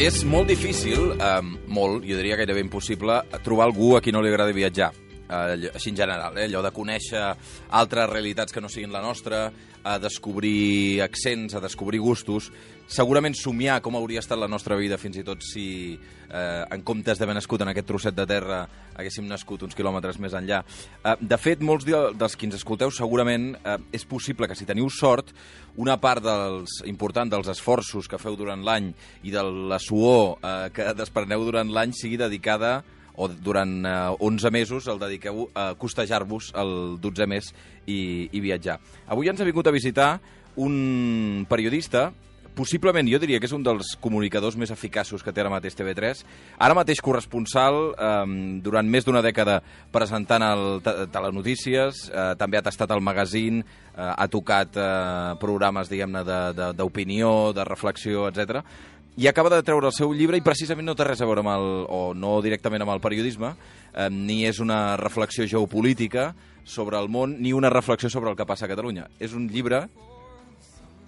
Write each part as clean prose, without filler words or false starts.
És molt difícil, molt, jo diria gairebé impossible, trobar algú a qui no li agradi viatjar. Així en general, allò de conèixer altres realitats que no siguin la nostra, a descobrir accents, a descobrir gustos, segurament somiar com hauria estat la nostra vida fins i tot si en comptes d'haver nascut en aquest trosset de terra haguéssim nascut uns quilòmetres més enllà. De fet, molts dels qui ens escolteu segurament és possible que si teniu sort una part important dels esforços que feu durant l'any i de la suor que despreneu durant l'any sigui dedicada o durant 11 mesos el dediqueu a costejar-vos el 12è mes i viatjar. Avui ens ha vingut a visitar un periodista, possiblement jo diria que és un dels comunicadors més eficaços que té ara mateix TV3, ara mateix corresponsal durant més d'una dècada presentant el telenotícies, també ha tastat el magazine, ha tocat programes, diguem-ne, d'opinió, de reflexió, etc. I acaba de treure el seu llibre i precisament no té res a veure o no directament amb el periodisme, ni és una reflexió geopolítica sobre el món, ni una reflexió sobre el que passa a Catalunya. És un llibre...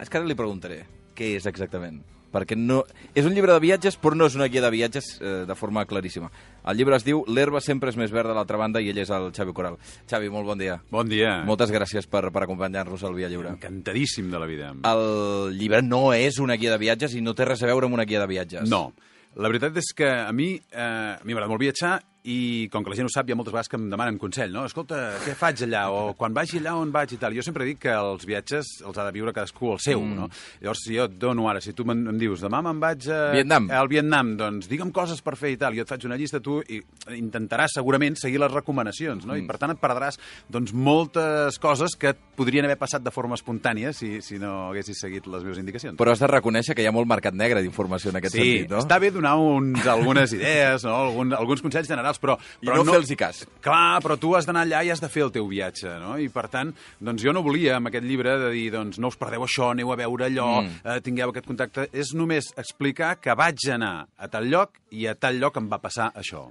És que ara li preguntaré què és exactament. Perquè no... És un llibre de viatges, però no és una guia de viatges de forma claríssima. El llibre es diu L'herba sempre és més verda a l'altra banda i ell és el Xavi Coral. Xavi, molt bon dia. Bon dia. Moltes gràcies per acompanyar-nos al Via Lliure. Encantadíssim de la vida. El llibre no és una guia de viatges i no té res a veure amb una guia de viatges. No. La veritat és que a mi m'agrada molt viatjar i, com que la gent ho sap, hi ha moltes vegades que em demanen consell, no? Escolta, què faig allà? O quan vagi allà, on vaig i tal. Jo sempre dic que els viatges els ha de viure cadascú el seu, no? Llavors, si jo et dono ara, si tu em dius, demà me'n vaig al Vietnam, doncs digue'm coses per fer i tal. Jo et faig una llista, tu i intentaràs segurament seguir les recomanacions, no? I per tant et perdràs doncs, moltes coses que et podrien haver passat de forma espontània si no haguessis seguit les meves indicacions. Però has de reconèixer que hi ha molt mercat negre d'informació en aquest sentit, no? Sí, està bé donar algunes idees, no? Alguns consells generals, però no fer-los cas. Clar, però tu has d'anar allà i has de fer el teu viatge, no? I per tant, doncs jo no volia amb aquest llibre de dir, doncs no us perdeu això, aneu a veure allò, tingueu aquest contacte. És només explicar que vaig anar a tal lloc i a tal lloc em va passar això.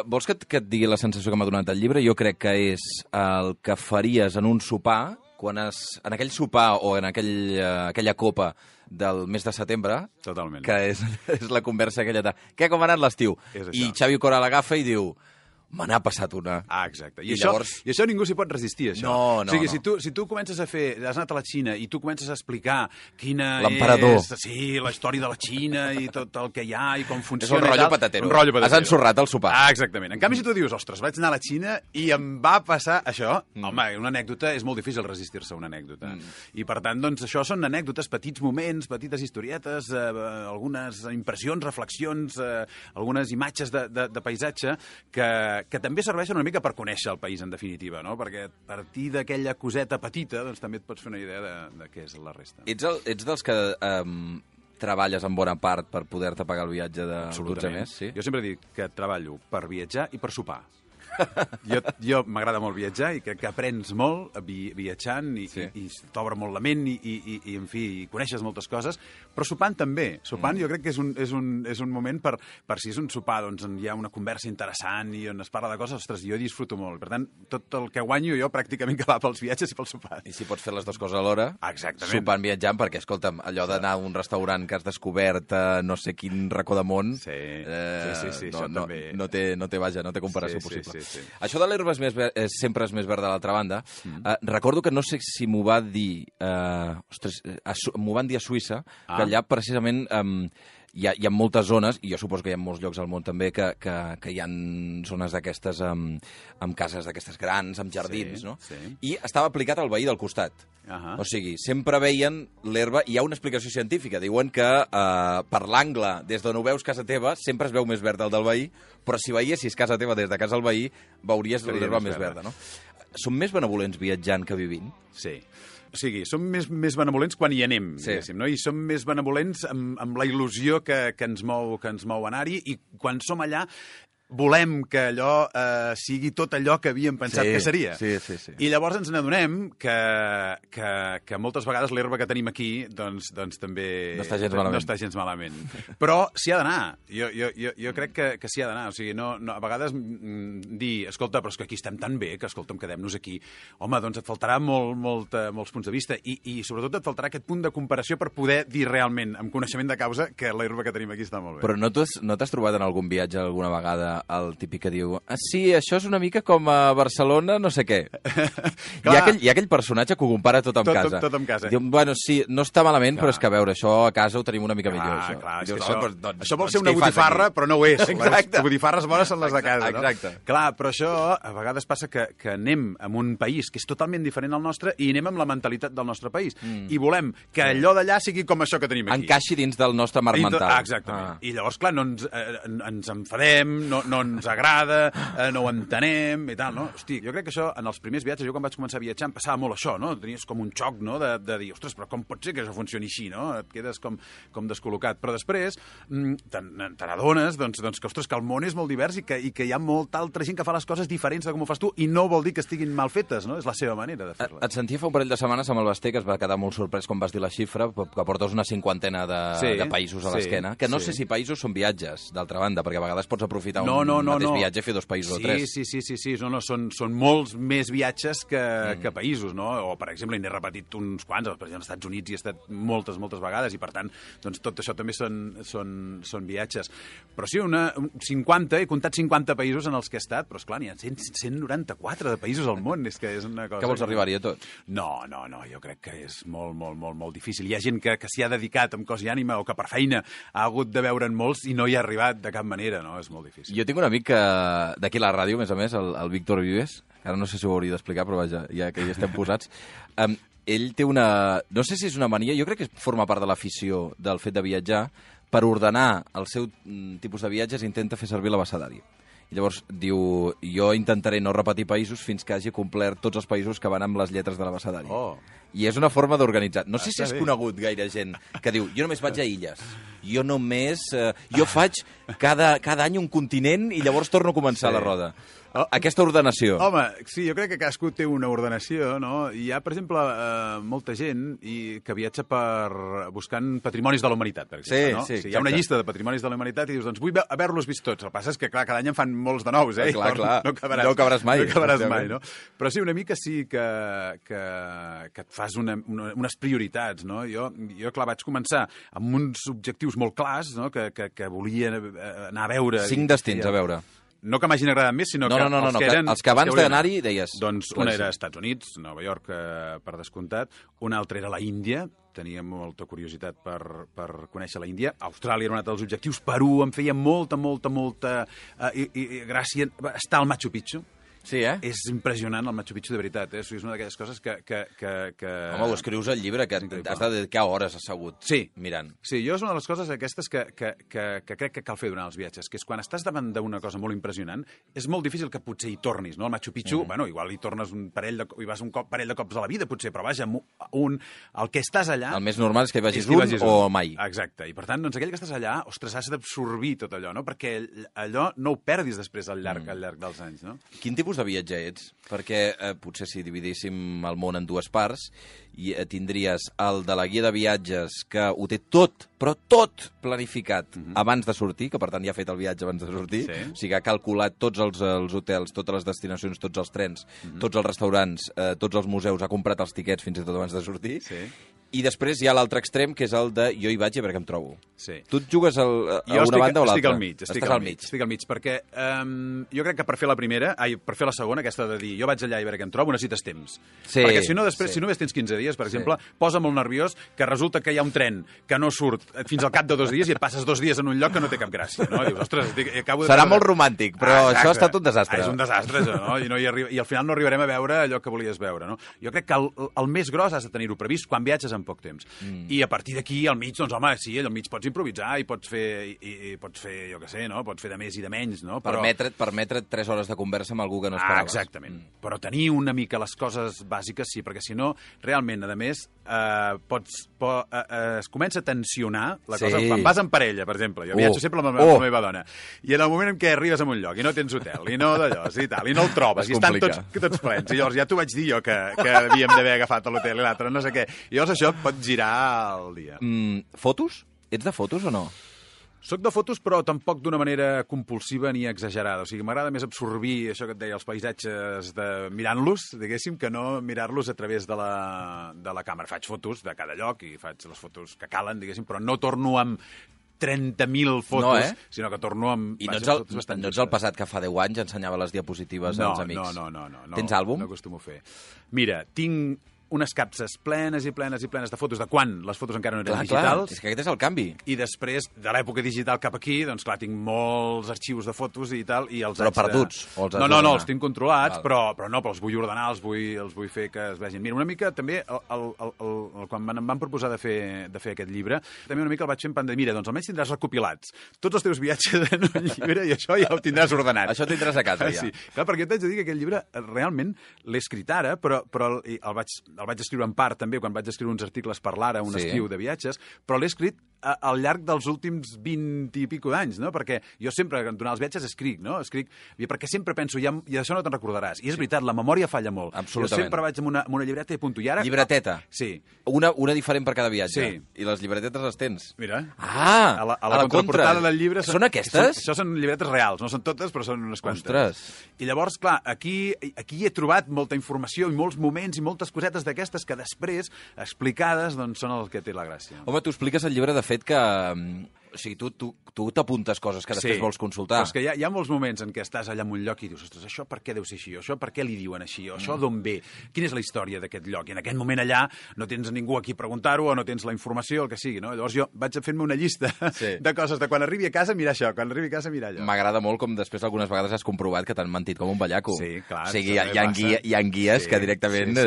Vols que et digui la sensació que m'ha donat el llibre? Jo crec que és el que faries en un sopar, en aquell sopar o en aquella copa del mes de setembre, totalment, que és la conversa aquella de què, com ha anat l'estiu? I Xavi Coral agafa i diu me n'ha passat una. Ah, exacte. I això ningú s'hi pot resistir, això. No. O sigui, si tu comences a fer... Has anat a la Xina i tu comences a explicar quina l'emperador. Sí, la història de la Xina i tot el que hi ha i com funciona. És un rotllo patatero. Has ensorrat el sopar. Ah, exactament. En canvi, si tu dius, ostres, vaig anar a la Xina i em va passar això, home, una anècdota, és molt difícil resistir-se a una anècdota. I per tant, doncs, això són anècdotes, petits moments, petites historietes, algunes impressions, reflexions, algunes imatges de paisatge que també serveixen una mica per conèixer el país, en definitiva, no? Perquè a partir d'aquella coseta petita doncs, també et pots fer una idea de què és la resta. Ets dels que treballes en bona part per poder-te pagar el viatge de 12 mes? Sí? Jo sempre dic que treballo per viatjar i per sopar. Jo m'agrada molt viatjar i crec que aprens molt viatjant i t'obre molt la ment i en fi, coneixes moltes coses, però sopant també. Sopant jo crec que és un moment per si és un sopar doncs hi ha una conversa interessant i on es parla de coses, ostres, jo disfruto molt. Per tant, tot el que guanyo jo pràcticament que va pels viatges i pel sopar. I si pots fer les dues coses alhora, sopant, viatjant, perquè, escolta'm, allò d'anar a un restaurant que has descobert no sé quin racó de món, no té comparació possible. Sí. Això de l'herba sempre és més verda a l'altra banda. Recordo que no sé si m'ho va dir... m'ho van dir a Suïssa, que allà precisament... Hi ha moltes zones, i jo suposo que hi ha molts llocs al món també, que hi ha zones d'aquestes amb cases d'aquestes grans, amb jardins, no? I estava aplicat al veí del costat. O sigui, sempre veien l'herba... Hi ha una explicació científica. Diuen que per l'angle, des d'on ho veus casa teva, sempre es veu més verd el del veí, però si veiessis casa teva des de casa del veí, veuries l'herba més verda, no? Som més benevolents viatjant que vivint? Sí. O sigui, som més benevolents quan hi anem, diguéssim, no? I som més benevolents amb la il·lusió que ens mou anar-hi, i quan som allà volem que allò sigui tot allò que havíem pensat que seria. Sí. I llavors ens n'adonem que moltes vegades l'herba que tenim aquí doncs també no està gens malament. No està gens malament. Però s'hi ha d'anar. Jo crec que s'hi ha d'anar. O sigui, no, a vegades dir, escolta, però és que aquí estem tan bé que, escolta'm, quedem-nos aquí. Home, doncs et faltarà molts punts de vista i sobretot et faltarà aquest punt de comparació per poder dir realment, amb coneixement de causa, que l'herba que tenim aquí està molt bé. Però no t'has trobat en algun viatge alguna vegada el típic que diu sí, això és una mica com a Barcelona, no sé què. Hi ha aquell personatge que ho compara tot amb casa. Tot amb casa. Diu, bueno, sí, no està malament, però és que a veure, això a casa ho tenim una mica millor. Això. Clar, dius, això vol ser una botifarra, però no ho és. Exacte. Les botifarres bones són les de casa, no? Exacte. Clar, però això a vegades passa que anem a un país que és totalment diferent al nostre i anem amb la mentalitat del nostre país. I volem que allò d'allà sigui com això que tenim aquí. Encaixi dins del nostre marc mental. Exactament. I llavors, clar, no ens enfadem, no ens agrada, no ho entenem i tal, no? Hosti, jo crec que això, en els primers viatges, jo quan vaig començar a viatjar em passava molt això, no? Tenies com un xoc, no?, de dir, ostres, però com pot ser que això funcioni així, no? Et quedes com descol·locat. Però després te n'adones, doncs, que, ostres, que el món és molt divers i que hi ha molta altra gent que fa les coses diferents de com ho fas tu i no vol dir que estiguin mal fetes, no? És la seva manera de fer-les. Et sentia fa un parell de setmanes amb el Basté, que es va quedar molt sorprès quan vas dir la xifra, que portes una 50 de països a l'esquena, que no sé si països són viatges, d'altra banda, perquè a vegades pots aprofitar un mateix viatge i fer 2 països o 3. Sí. No, són molts més viatges que països, no? O, per exemple, n'he repetit uns quants, per exemple, als Estats Units hi he estat moltes vegades i, per tant, doncs, tot això també són viatges. Però sí, 50, he comptat 50 països en els que he estat, però, esclar, n'hi ha 194 de països al món, és que és una cosa... Que vols arribar-hi a tot? No, jo crec que és molt difícil. Hi ha gent que s'hi ha dedicat amb cos i ànima o que per feina ha hagut de veure'n molts i no hi ha arribat de cap manera, no? És molt difícil. Jo tinc un amic d'aquí a la ràdio, a més, el Víctor Vives, ara no sé si ho hauria d'explicar, però vaja, ja que hi estem posats. Ell té una... No sé si és una mania, jo crec que forma part de l'afició del fet de viatjar. Per ordenar el seu tipus de viatges intenta fer servir l'abecedari. I llavors diu, jo intentaré no repetir països fins que hagi complert tots els països que van amb les lletres de l'abecedari. I és una forma d'organitzar. No sé si has conegut gaire gent que diu, jo només vaig a illes, jo faig cada any un continent i llavors torno a començar la roda. Aquesta ordenació. Home, sí, jo crec que cadascú té una ordenació, no? Hi ha, per exemple, molta gent que viatja buscant patrimonis de la humanitat, per exemple, no? Sí, hi ha una llista de patrimonis de la humanitat i dius, doncs vull haver-los vist tots. El que passa és que, clar, cada any en fan molts de nous, Clar. No acabaràs mai. No acabaràs mai, no? Però sí, una mica sí que et fas unes prioritats, no? Jo, clar, vaig començar amb uns objectius molt clars, no? Que volia anar a veure... 5 destins a veure. No que m'hagin agradat més, sinó que els que eren... Els que abans d'anar-hi deies... Doncs una era Estats Units, Nova York, per descomptat. Una altra era la Índia. Tenia molta curiositat per conèixer la Índia. Austràlia era un altre dels objectius. Perú em feia molta gràcia estar al Machu Picchu. Sí, És impressionant el Machu Picchu, de veritat. És una d'aquelles coses que... Home, ho escrius al llibre, que has de dedicar hores assegut mirant. Sí, jo és una de les coses aquestes que crec que cal fer durant els viatges, que és quan estàs davant d'una cosa molt impressionant, és molt difícil que potser hi tornis, no? El Machu Picchu, bueno, igual hi tornes hi vas un parell de cops a la vida, potser, però vaja, el que estàs allà... El més normal és que hi vagis un o mai. Exacte, i per tant, doncs aquell que estàs allà, ostres, has d'absorbir tot allò, no? Perquè allò no ho perdis després al llarg dels anys, no? Quin tipus de viatge ets? Perquè potser si dividíssim el món en 2 parts, tindries el de la guia de viatges que ho té tot, però tot planificat abans de sortir, que per tant ja ha fet el viatge abans de sortir, o sigui, ha calculat tots els hotels, totes les destinacions, tots els trens, tots els restaurants, tots els museus, ha comprat els tiquets fins i tot abans de sortir, i després hi ha l'altre extrem, que és el de jo hi vaig i a veure què em trobo. Tu et jugues a una banda o l'altra? Estic al mig, perquè jo crec que per fer la segona, aquesta de dir jo vaig allà i a veure què em trobo, necessites temps. Perquè si no, després, si només tens 15 dies, per exemple, posa molt nerviós que resulta que hi ha un tren que no surt fins al cap de 2 dies i et passes 2 dies en un lloc que no té cap gràcia, no? Dius, ostres, serà molt romàntic, però això ha estat un desastre. És un desastre, això, no? I al final no arribarem a veure allò que volies veure, no? Jo crec que el més gros has de tenir-ho previst quan viatges en en poc temps. I a partir d'aquí, al mig, doncs, home, sí, al mig pots improvisar i pots fer, jo què sé, no? Pots fer de més i de menys, no? Permetre't 3 hores de conversa amb algú que no esperaves. Exactament. Però tenir una mica les coses bàsiques, sí, perquè si no, realment, a més, es comença a tensionar la cosa. Quan vas en parella, per exemple, jo viatjo sempre amb la meva dona, i en el moment en què arribes a un lloc i no tens hotel, i no d'allò, i tal, i no el trobes, i estan tots plens, i llavors ja t'ho vaig dir jo que havíem d'haver agafat a l'hotel i l'altre, no sé què. I llavors això pot girar el dia. Fotos? Ets de fotos o no? Soc de fotos, però tampoc d'una manera compulsiva ni exagerada. O sigui, m'agrada més absorbir això que et deia, els paisatges mirant-los, diguéssim, que no mirar-los a través de la càmera. Faig fotos de cada lloc i faig les fotos que calen, diguéssim, però no torno amb 30.000 fotos, sinó que torno amb... I no ets el passat que fa 10 anys ensenyava les diapositives als amics? No. Tens àlbum? No acostumo a fer. Mira, tinc unes capses plenes i plenes i plenes de fotos de quan les fotos encara no eren digitals. És que aquest és el canvi. I després, de l'època digital cap aquí, doncs clar, tinc molts arxius de fotos i tal, i els però perduts? No, els tinc controlats, però els vull ordenar, els vull fer que es vegin. Mira, una mica també, quan em van proposar de fer aquest llibre, també una mica el vaig fer en plan de, mira, doncs almenys tindràs recopilats tots els teus viatges en un llibre i això ja ho tindràs ordenat. Això tindràs a casa, ja. Sí, clar, perquè t'haig de dir que aquest llibre realment l'he escrit ara, però el vaig escriure en part també quan vaig escriure uns articles per l'Ara, un estiu de viatges, però l'he escrit al llarg dels últims 20 i pico d'anys, no? Perquè jo sempre, durant els viatges, escric, no? Perquè sempre penso, i això no te'n recordaràs. I és veritat, la memòria falla molt. Absolutament. Jo sempre vaig amb una llibreta i apunto. I ara... Llibreteta? Sí. Una diferent per cada viatge? Sí. I les llibretetes les tens? Mira. A la contraportada del llibre... Són aquestes? Això són llibretes reals, no són totes, però són unes quantes. Ostres! I llavors, clar, aquí he trobat molta informació i molts moments i moltes cosetes d'aquestes que després, explicades, doncs són el que té la gràcia. Home, tu expliques al llibre, de fet, que... O sigui, tu t'apuntes coses que després vols consultar. Però és que hi ha molts moments en què estàs allà en un lloc i dius, ostres, això per què deu ser així? O això per què li diuen així? O això d'on ve? Quina és la història d'aquest lloc? I en aquest moment allà no tens ningú a qui preguntar-ho o no tens la informació, el que sigui, no? Llavors jo vaig fent-me una llista de coses, de quan arribi a casa mirar això, quan arribi a casa mirar allò. M'agrada molt com després algunes vegades has comprovat que t'han mentit com un ballaco. Sí, clar. O sigui, hi ha guies que directament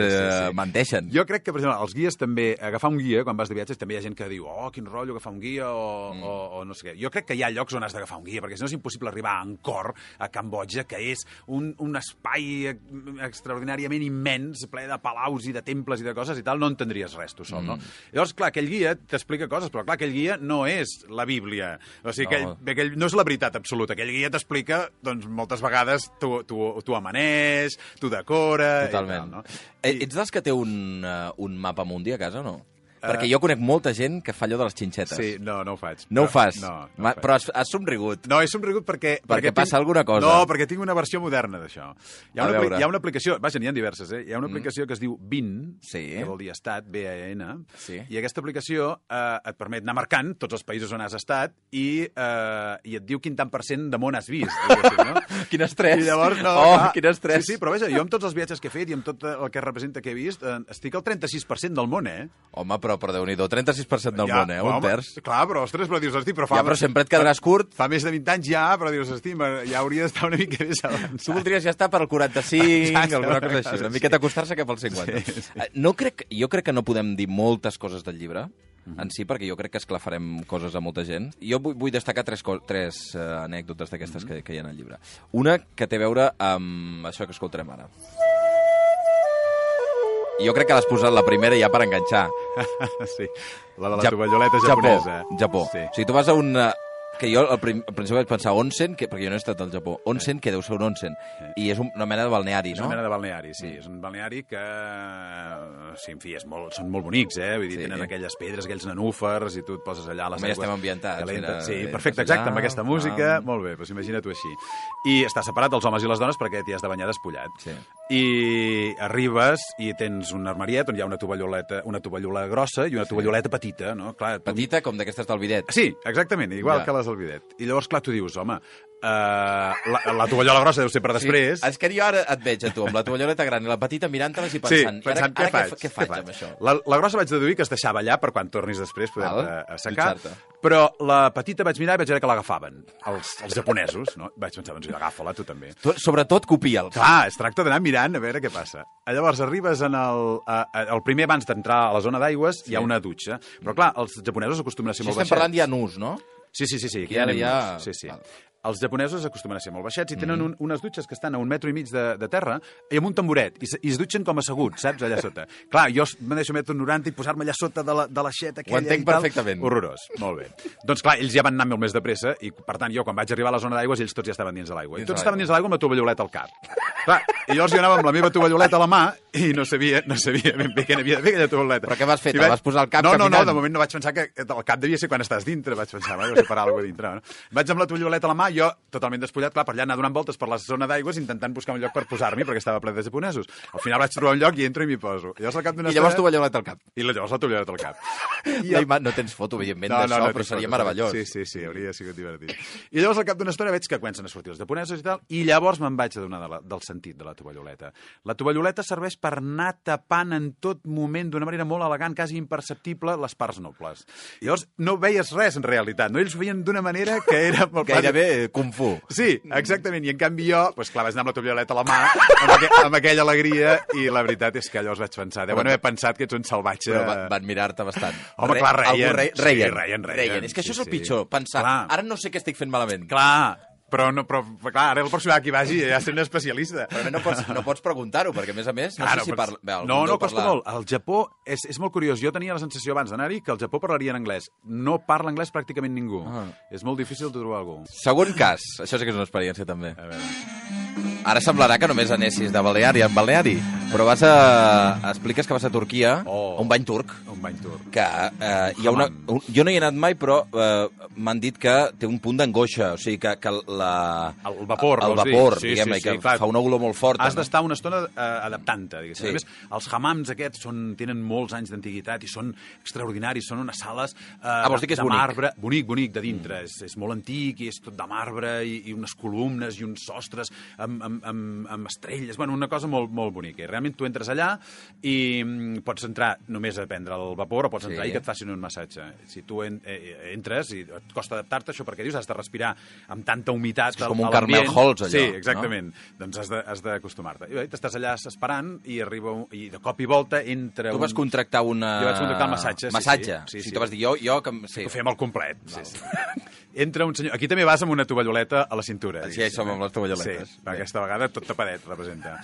menteixen. Jo crec que, per exemple, els guies també, agafar un guia, quan vas de viatges, també hi ha gent que diu, oh, quin rotllo agafar un guia o no sé què. Jo crec que hi ha llocs on has d'agafar un guia, perquè si no és impossible arribar a Angkor, a Cambodja, que és un espai extraordinàriament immens, ple de palaus i de temples i de coses i tal, no entendries res tu sol, no? Llavors, clar, aquell guia t'explica coses, però clar, aquell guia no és la Bíblia. O sigui, aquell no és la veritat absoluta. Aquell guia t'explica, doncs, moltes vegades tu amaneix, tu decora... Totalment. I tal, no? Ets dels que té un mapa mundi a casa o no? Perquè jo conec molta gent que fa allò de les xinxetes. Sí, no ho faig. No ho fas? No però has somrigut. No, he somrigut perquè passa alguna cosa. No, perquè tinc una versió moderna d'això. Hi ha una aplicació, vaja, n'hi ha diverses, Hi ha una aplicació que es diu BIN, que vol dir estat, B-A-N, i aquesta aplicació et permet anar marcant tots els països on has estat i et diu quin tant % de món has vist. No? Quin estrès! I llavors, quin estrès! Sí, però vaja, jo amb tots els viatges que he fet i amb tot el que representa que he vist, estic al 36% del món, Home, però Déu-n'hi-do, 36% del món, un terç. Clar, però, ostres, però dius, hosti, però però sempre et quedaràs curt. Fa més de 20 anys ja, però dius, hosti, ja hauria d'estar una mica més avançat. Tu voldries ja estar per al 45, alguna cosa així, una miqueta acostar-se cap al 50. Jo crec que no podem dir moltes coses del llibre, en si, perquè jo crec que esclafarem coses a molta gent. Jo vull destacar tres anècdotes d'aquestes que hi ha en el llibre. Una que té a veure amb això que escoltarem ara. Jo crec que l'has posat la primera ja per enganxar. Sí, la de la tovalloleta japonesa. Japó. Sí. O sigui, tu vas a una... Que jo al principi vaig pensar onsen, perquè jo no he estat al Japó. Onsen, que deu ser un onsen. I és una mena de balneari, no? És una mena de balneari, sí. És un balneari que, sí, en fi, són molt bonics, Vull dir, tenen aquelles pedres, aquells nenúfars, i tu et poses allà a les aigües... estem ambientats. Sí, perfecte, exacte, amb aquesta música. Molt bé, doncs imagina't-ho així. I està separat els homes i les dones perquè t'hi has de banyar despullat. Sí. I arribes i tens un armariet on hi ha una tovallola grossa i una tovalloleta petita, no? Clar, petita com d'aquestes del bidet. Sí, exactament, igual que les del bidet. I llavors, clar, tu dius, home, La tovallola grossa deu ser per després. Sí. És que jo ara et veig a tu, amb la tovalloleta gran i la petita mirant-te-les i pensant, què faig amb això? La grossa vaig deduir que es deixava allà per quan tornis després poder assecar, però la petita vaig mirar i vaig veure que l'agafaven, els japonesos, no? Vaig pensar, doncs agafa-la, tu també. Sobretot copia'ls. Clar, es tracta d'anar mirant a veure què passa. Llavors arribes el primer abans d'entrar a la zona d'aigües hi ha una dutxa, però clar, els japonesos acostumen a ser molt baixets. Estem parlant ja nus, no? Sí. I ara ja... Sí. Els japonesos acostumen a ser molt baixets i tenen unes dutxes que estan a 1,5 metres de terra i amb un tamboret, i es dutxen com asseguts, saps, allà sota. Clar, jo me deixo 1,90 m i posar-me allà sota de l'aixeta aquella. Ho entenc perfectament. Horrorós, molt bé. Doncs clar, ells ja van anar molt més de pressa i, per tant, jo quan vaig arribar a la zona d'aigües, ells tots ja estaven dins de l'aigua. I tots estaven dins de l'aigua amb la tovalloleta al cap. Clar, i llavors jo anava amb la meva tovalloleta a la mà i no sabia ben bé què n'havia de fer aquella tovalloleta. Però què vas fer? Te vas posar al cap caminant? No, de moment no vaig pensar que el cap devia ser quan estàs dintre, vaig pensar, vaig separar alguna cosa dintre. No? Vaig amb la tovalloleta a la mà, jo totalment despullat, clar, per allà anar donant voltes per la zona d'aigües intentant buscar un lloc per posar-m'hi perquè estava ple de japonesos. Al final vaig trobar un lloc i entro i m'hi poso. I llavors tovalloleta al cap. I llavors la tovalloleta al cap. No tens foto, evidentment, d'això, però seria meravellós. Sí, hauria sigut divertit. I llavors al cap d'una estona veig que comencen a sortir els japonesos i tal, i llavors me'n vaig adonar del sentit de la tovalloleta. La tovalloleta serveix per anar tapant en tot moment, d'una manera molt elegant, quasi imperceptible, les parts nobles. I llavors no veies res, en realitat. No? Ells ho feien d'una manera que era... Gairebé kung fu. Sí, exactament. I en canvi jo, doncs clar, vaig anar amb la tovalloleta a la mà, amb aquella alegria, i la veritat és que llavors vaig pensar, deuen haver pensat que ets un salvatge... Però van mirar-te bastant. Home, clar, reien. És que això és el pitjor, pensar, ara no sé què estic fent malament. Clar, però clar, ara el pròxim que hi vagi ja seré un especialista. Però no pots preguntar-ho, perquè a més, no sé si parla... No, costa molt. El Japó és molt curiós. Jo tenia la sensació abans d'anar-hi que el Japó parlaria en anglès. No parla anglès pràcticament ningú. És molt difícil de trobar algú. Segon cas. Això sí que és una experiència, també. A veure... Ara semblarà que només anessis de balneari en balneari, però expliques que vas a Turquia, a un bany turc. Un bany turc. Que hi ha jo no hi he anat mai, però m'han dit que té un punt d'angoixa, o sigui, que el vapor, diguem-ne, que fa una olor molt forta. Has d'estar una estona adaptant-te, diguéssim. A més, els hammams aquests tenen molts anys d'antiguitat i són extraordinaris, són unes sales de marbre. Bonic, de dintre. És molt antic i és tot de marbre i unes columnes i uns sostres amb estrelles, una cosa molt, molt bonica. I realment tu entres allà i pots entrar només a prendre el vapor o pots entrar i que et facin un massatge. Si tu entres i et costa adaptar-te, això perquè dius, has de respirar amb tanta humitat. És com un Carmel Halls, allò. Sí, exactament. Doncs has d'acostumar-te. I t'estàs allà esperant i de cop i volta entra... Tu vas contractar una... Jo vaig contractar un massatge. Massatge? Sí. Tu vas dir, jo... Ho fem al complet. Entra un senyor... Aquí també vas amb una tovalloleta a la cintura. Sí, som amb les tovalloletes. Sí, aquesta vegada tot tapadet representa.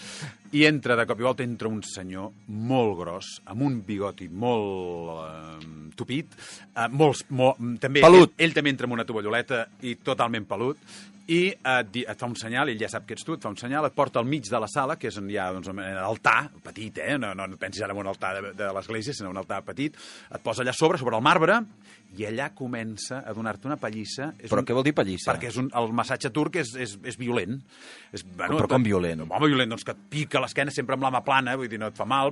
I de cop i volta entra un senyor molt gros, amb un bigoti molt tupit, pelut. Ell també entra amb una tovalloleta i totalment pelut, i et fa un senyal, ell ja sap que ets tu, et fa un senyal, et porta al mig de la sala, que és on hi ha un altar petit, no pensis ara en un altar de l'església, sinó un altar petit, et posa allà sobre el marbre, i allà comença a donar-te una pallissa. Però què vol dir pallissa? Perquè el massatge turc és violent. Però com violent? Home, violent, doncs que et pica l'esquena sempre amb la mà plana, vull dir, no et fa mal,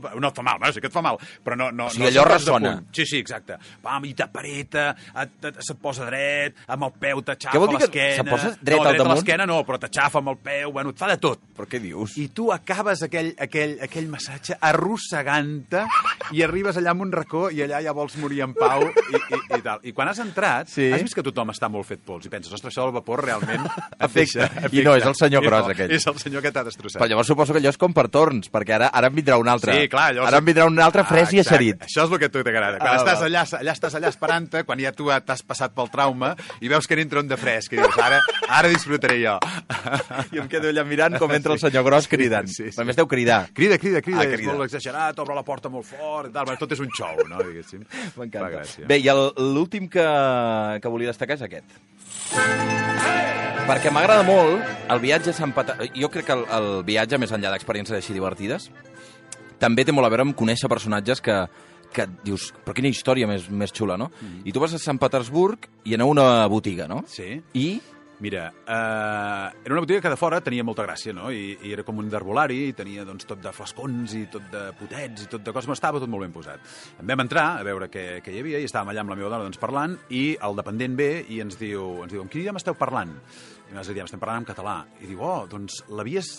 sí que et fa mal, però no... O sigui, allò ressona. Sí, exacte. I t'apareta, se't posa dret, amb el peu t'aixafa l'esquena... Se posa dret al damunt? L'esquena no, però t'aixafa amb el peu, et fa de tot. Però què dius? I tu acabes aquell massatge arrossegant-te i arribes allà en un racó i allà ja vols morir en pau i tal. I quan has entrat, has vist que tothom està molt fet pols i penses, ostres, això del vapor realment afecta. I no, és el senyor gros aquell. És el senyor que t'ha destrossat. Però llavors suposo que allò és com per torns, perquè ara en vindrà un altre. Sí, clar. Ara en vindrà un altre fresc i eixerit. Això és el que a tu t'agrada. Quan estàs allà esperant-te, quan ja tu t'has passat pel trauma i veus que n'entra un de fresc i dius, ara disfrutaré jo. I em quedo allà mirant com entra el senyor gros cridant. A més deu cridar. Crida, és molt exagerat, obre la porta molt fort, tot és un xou, no? M'encanta. Bé, i l'últim que volia destacar és aquest. Perquè m'agrada molt el viatge a Sant Petersburg. Jo crec que el viatge, més enllà d'experiències així divertides, també té molt a veure amb conèixer personatges que dius, però quina història més xula, no? I tu vas a Sant Petersburg i anar a una botiga, no? Sí. I... Mira, era una botiga que de fora tenia molta gràcia, no? I era com un d'herbolari, i tenia doncs, tot de flascons i tot de potets i tot de coses, estava tot molt ben posat. En vam entrar a veure què hi havia i estàvem allà amb la meva dona parlant i el dependent ve i ens diu, amb quin idioma esteu parlant? I nosaltres diem, estem parlant en català. I diu, doncs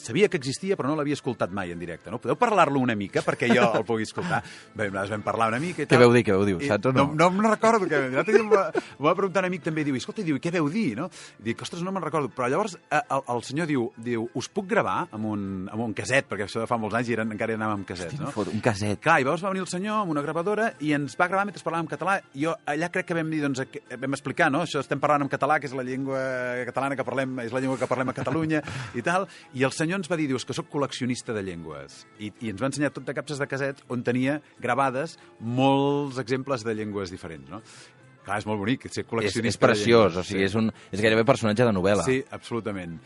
sabia que existia, però no l'havia escoltat mai en directe. No? Podeu parlar-lo una mica perquè jo el pugui escoltar? Bé, nosaltres vam parlar una mica i tal. Què veu dir, saps o no? No me'n recordo. M'ho va preguntar un amic també, diu, escolta, què veu dir? No? I dic, ostres, no me'n recordo. Però llavors el senyor diu, us puc gravar amb un caset, perquè això de fa molts anys i encara anàvem amb casets, no? Un caset. Clar, i llavors va venir el senyor amb una gravadora i ens va gravar mentre parlàvem català. Jo allà crec que vam dir, doncs, vam explicar, no? Això estem parlant en català, que és la llengua catalana que parlem, és la llengua que parlem a Catalunya i tal. I el senyor ens va dir, diu, és que sóc col·leccionista de llengües. I ens va ensenyar tot de capses de casets on tenia gravades molts exemples de llengües diferents, no? Clar, és molt bonic, ser col·leccionista. És preciós, o sigui, és gairebé personatge de novel·la. Sí, absolutament.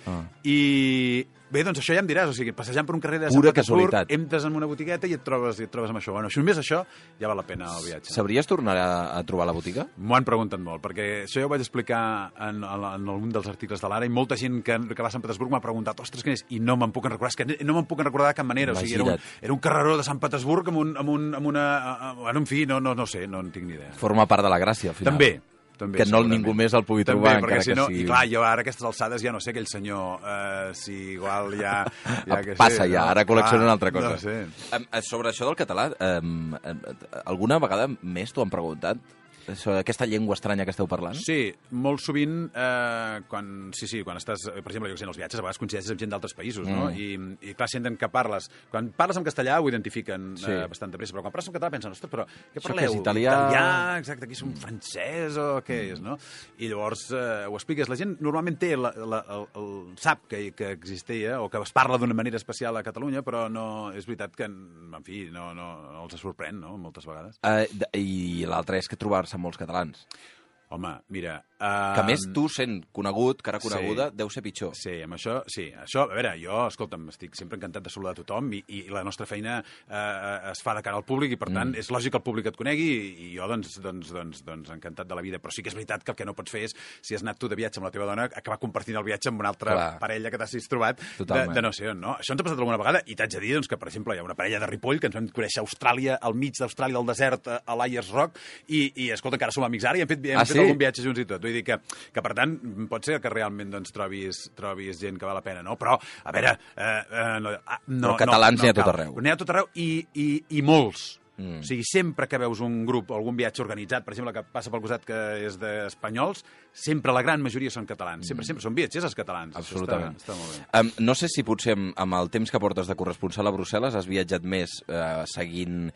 I bé, doncs això ja em diràs, o sigui, passejant per un carrer de Pura Sant Petersburg, casualitat. entres en una botigueta i et trobes amb això. Bueno, si només això, ja val la pena el viatge. Sabries tornar a trobar la botiga? M'ho han preguntat molt, perquè això ja ho vaig explicar en algun dels articles de l'Ara, i molta gent que va a Sant Petersburg m'ha preguntat, ostres, què és? I no me'n puc recordar, és que no me'n puc recordar de cap manera. O sigui, era un carreró de Sant Petersburg amb una... Bueno, en fi, no sé, no en tinc ni idea. Forma part de la gràcia, al final. També, que no ningú més el pugui trobar, encara que sigui... I clar, jo ara a aquestes alçades ja no sé aquell senyor, si igual ja que passa sé, ja, ara col·lecciona una altra cosa. No sé. Sobre això del català, alguna vegada més t'ho han preguntat? Aquesta llengua estranya que esteu parlant? Sí, molt sovint, quan estàs, per exemple, jo que sé, en els viatges, a vegades coincideixes amb gent d'altres països, no? I clar, senten que parles. Quan parles en castellà ho identifiquen bastant de pressa, però quan parles en català pensen, ostres, però què parleu? Això que és italià... Exacte, aquí és un francès o què és, no? I llavors ho expliques. La gent normalment té sap que existia o que es parla d'una manera especial a Catalunya, però no, és veritat que, en fi, no els sorprèn, no?, moltes vegades. I l'altre és que trobar-se amb molts catalans. Home, mira... Que més tu, sent conegut, cara coneguda, deu ser pitjor. Sí, amb això, sí. Això, a veure, jo, escolta'm, estic sempre encantat de saludar a tothom i la nostra feina es fa de cara al públic i, per tant, és lògic que el públic et conegui i jo, doncs, encantat de la vida. Però sí que és veritat que el que no pots fer és, si has anat tu de viatge amb la teva dona, acabar compartint el viatge amb una altra parella que t'has trobat de no sé on, no? Això ens ha passat alguna vegada i t'haig de dir, doncs, que, per exemple, hi ha una parella de Ripoll que ens vam conèixer a Austràlia, al mig d'Austràlia, al desert, a l'Ayers Rock, i escolta, encara som amics ara i hem fet algun viatge junts i tot. Vull dir que per tant, pot ser que realment doncs, trobis gent que val la pena, no? Però, a veure... però catalans n'hi ha tot arreu. N'hi ha tot arreu i molts. O sigui, sempre que veus un grup o algun viatge organitzat, per exemple, que passa pel costat que és d'espanyols, sempre la gran majoria són catalans. Sempre són viatgers els catalans. Absolutament. Està molt bé. No sé si potser amb el temps que portes de corresponsal a Brussel·les has viatjat més seguint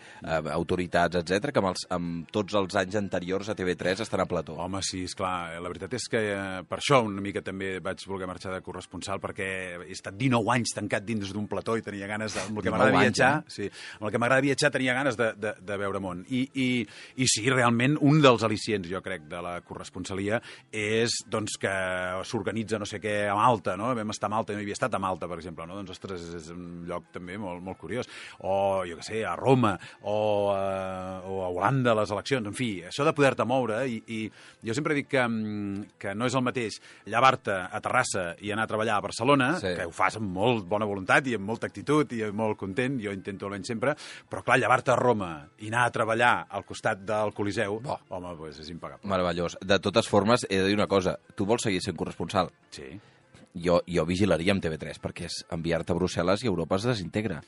autoritats, etc que amb tots els anys anteriors a TV3 estan a plató. Home, sí, esclar. La veritat és que per això una mica també vaig voler marxar de corresponsal, perquè he estat 19 anys tancat dins d'un plató i tenia ganes, amb el que m'agrada viatjar, amb el que m'agrada viatjar tenia ganes de veure món. I sí, realment, un dels al·licients, jo crec, de la corresponsalia és doncs, que s'organitza no sé què a Malta, no? Vam estar a Malta, no hi havia estat a Malta, per exemple, no? Doncs, ostres, és un lloc també molt, molt curiós. O, jo què sé, a Roma, o a Holanda, les eleccions, en fi, això de poder-te moure, i jo sempre dic que no és el mateix llevar-te a Terrassa i anar a treballar a Barcelona, que ho fas amb molt bona voluntat i amb molta actitud i molt content, jo intento almenys sempre, però clar, llevar-te a Roma i anar a treballar al costat del Coliseu, home, doncs és impagable. Meravellós. De totes formes, he de dir una cosa, tu vols seguir sent corresponsal? Sí. Jo vigilaria amb TV3, perquè és enviar-te a Brussel·les i Europa es desintegra.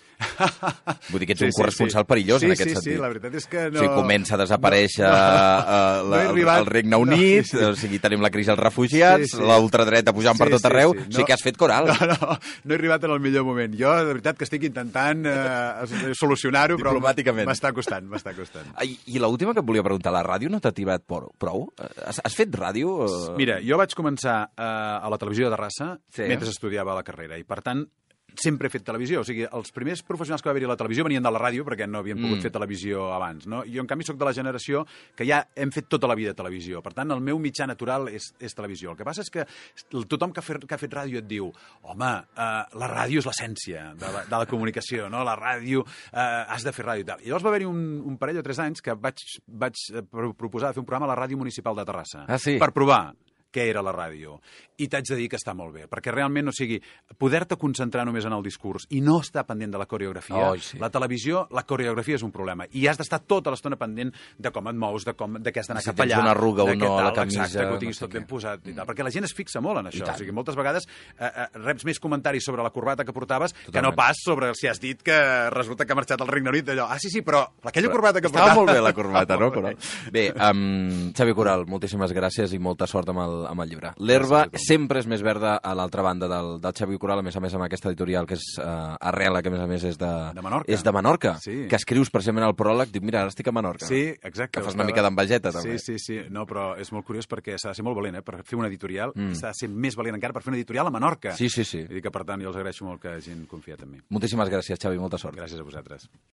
Vull dir que ets un corresponsal perillós en aquest sentit. Sí, la veritat és que no... O sigui, comença a desaparèixer el Regne Unit, o sigui, tenim la crisi dels refugiats, l'ultradreta pujant per tot arreu, o sigui que has fet coral. No he arribat en el millor moment. Jo, de veritat, que estic intentant solucionar-ho, però m'està costant. I l'última que et volia preguntar, la ràdio no t'ha tibat prou? Has fet ràdio? Mira, jo vaig començar a la televisió de Terrassa mentre estudiava la carrera i, per tant, sempre he fet televisió. O sigui, els primers professionals que va haver-hi a la televisió venien de la ràdio perquè no havien pogut fer televisió abans, no? Jo, en canvi, soc de la generació que ja hem fet tota la vida televisió. Per tant, el meu mitjà natural és televisió. El que passa és que tothom que ha fet ràdio et diu home, la ràdio és l'essència de la comunicació, no? La ràdio, has de fer ràdio i tal. I llavors va haver-hi un parell o 3 anys que vaig proposar de fer un programa a la Ràdio Municipal de Terrassa. Ah, sí? Per provar què era la ràdio. I t'haig de dir que està molt bé, perquè realment, o sigui, poder-te concentrar només en el discurs i no estar pendent de la coreografia, la televisió, la coreografia és un problema. I has d'estar tota l'estona pendent de com et mous, de què has d'anar cap allà. Si tens una arruga o no a la camisa. Exacte, que ho tinguis tot ben posat i tal. Perquè la gent es fixa molt en això. O sigui, moltes vegades reps més comentaris sobre la corbata que portaves que no pas sobre si has dit que resulta que ha marxat al Regne Unit. Allò, sí, però aquella corbata que portava... Estava molt bé la corbata, no, Coral? Bé, Xavi Coral, moltíssimes gràcies i molta sort amb el llibre. L'herba sempre és més verda a l'altra banda del Xavi Coral, a més amb aquesta editorial que és Arrela, que a més és de Menorca, que escrius precisament al pròleg, dic, mira, ara estic a Menorca. Sí, exacte. Que fas una mica d'envejeta, també. Sí, no, però és molt curiós perquè s'ha de ser molt valent, per fer una editorial, s'ha de ser més valent encara per fer una editorial a Menorca. Sí. I que, per tant, jo els agraeixo molt que hagin confiat en mi. Moltíssimes gràcies, Xavi, molta sort. Gràcies a vosaltres.